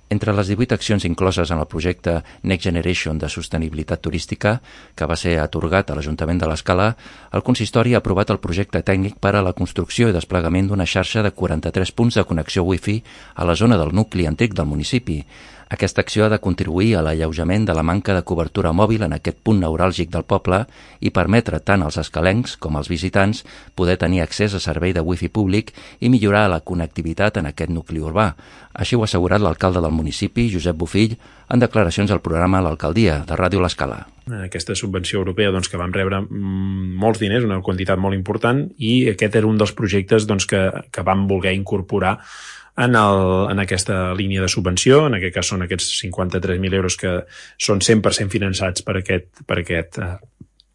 Entre les 18 accions incloses en el projecte Next Generation de sostenibilitat turística, que va ser atorgat a l'Ajuntament de l'Escala, el consistori ha aprovat el projecte tècnic per a la construcció i desplegament d'una xarxa de 43 punts de connexió Wi-Fi a la zona del nucli antic del municipi. Aquesta acció ha de contribuir a l'alleujament de la manca de cobertura mòbil en aquest punt neuràlgic del poble i permetre tant als escalencs com als visitants poder tenir accés a servei de Wi-Fi públic i millorar la connectivitat en aquest nucli urbà. Així ho ha assegurat l'alcalde del municipi, Josep Bofill, en declaracions al programa L'Alcaldia, de Ràdio L'Escala. Aquesta subvenció europea que vam rebre molts diners, una quantitat molt important, i aquest era un dels projectes que vam voler incorporar en aquesta línia de subvenció. En aquest cas són aquests 53.000 euros que són 100% finançats per aquest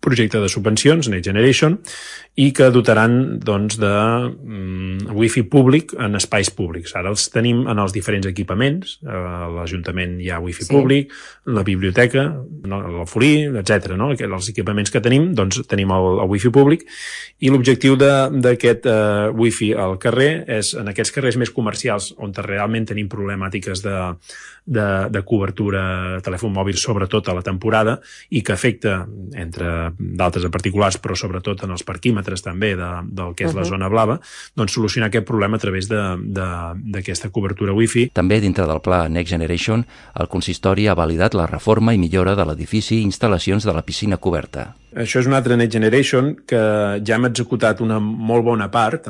projecte de subvencions, Next Generation, i que dotaran de wifi públic en espais públics. Ara els tenim en els diferents equipaments, a l'Ajuntament hi ha wifi públic, la biblioteca, l'Alforí, etc. Els equipaments que tenim, tenim el wifi públic, i l'objectiu d'aquest wifi al carrer és en aquests carrers més comercials on realment tenim problemàtiques de cobertura telèfon mòbil, sobretot a la temporada, i que afecta entre d'altres a particulars, però sobretot en els parquímetres també del que és la zona blava, solucionar aquest problema a través d'aquesta cobertura Wi-Fi. També dintre del pla Next Generation, el consistori ha validat la reforma i millora de l'edifici i instal·lacions de la piscina coberta. Això és un altre Next Generation que ja hem executat una molt bona part.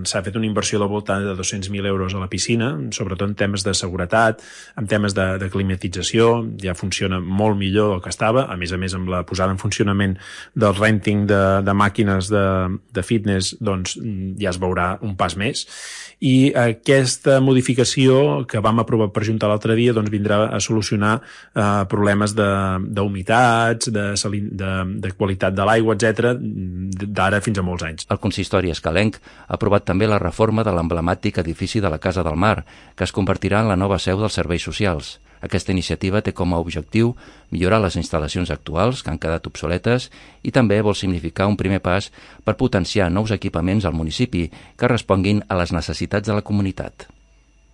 S'ha fet una inversió del voltant de 200.000 euros a la piscina, sobretot en temes de seguretat, en temes de climatització. Ja funciona molt millor del que estava. A més, amb la posada en funcionament del renting de màquines de fitness, ja es veurà un pas més. I aquesta modificació que vam aprovar per Junta l'altre dia vindrà a solucionar problemes d'humitats, de qualitat de l'aigua, etc., d'ara fins a molts anys. El consistori escalenc ha aprovat també la reforma de l'emblemàtic edifici de la Casa del Mar, que es convertirà en la nova seu dels serveis socials. Aquesta iniciativa té com a objectiu millorar les instal·lacions actuals, que han quedat obsoletes, i també vol significar un primer pas per potenciar nous equipaments al municipi que responguin a les necessitats de la comunitat.